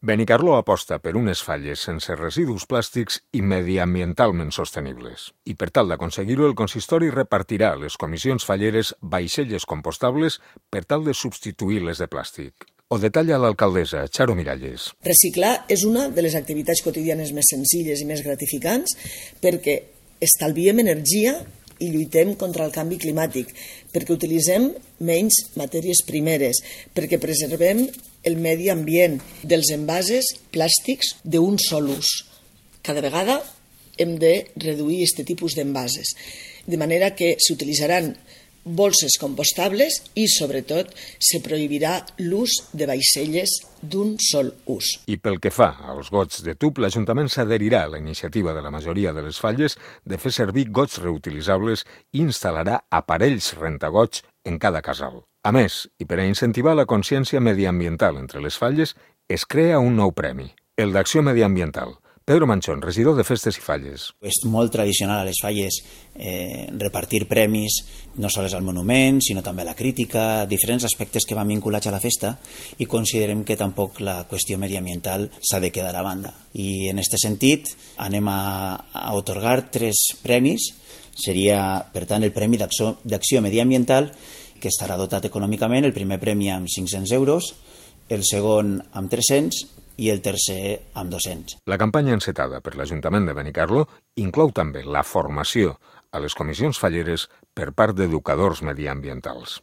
Benicarló aposta per unes falles sense residus plàstics i mediambientalment sostenibles. I per tal d'aconseguir-ho, el consistori repartirà a les comissions falleres vaixelles compostables per tal de substituir les de plàstic. Ho detalla l'alcaldessa, Charo Miralles. Reciclar és una de les activitats quotidianes més senzilles i més gratificants perquè estalviem energia i lluitem contra el canvi climàtic, perquè utilitzem menys matèries primeres, perquè preservem el medi ambient dels envasos plàstics d'un sol ús. Cada vegada hem de reduir aquest tipus d'envasos, de manera que s'utilitzaran bolses compostables i, sobretot, se prohibirà l'ús de vaixelles d'un sol ús. I pel que fa als gots de tub, l'Ajuntament s'adherirà a la iniciativa de la majoria de les falles de fer servir gots reutilitzables i instal·larà aparells rentagots en cada casal. A més, i per a incentivar la consciència mediambiental entre les falles, es crea un nou premi, el d'Acció Mediambiental. Pedro Manchón, regidor de Festes i Falles. És molt tradicional a les falles repartir premis, no sols al monument, sinó també a la crítica, diferents aspectes que van vinculats a la festa, i considerem que tampoc la qüestió mediambiental s'ha de quedar a banda. I en aquest sentit anem a atorgar 3 premis. Seria, per tant, el Premi d'Acció Mediambiental, que estarà dotat econòmicament, el primer premi amb 500 euros, el segon amb 300 i el tercer amb 200. La campanya encetada per l'Ajuntament de Benicarló inclou també la formació a les comissions falleres per part d'educadors mediambientals.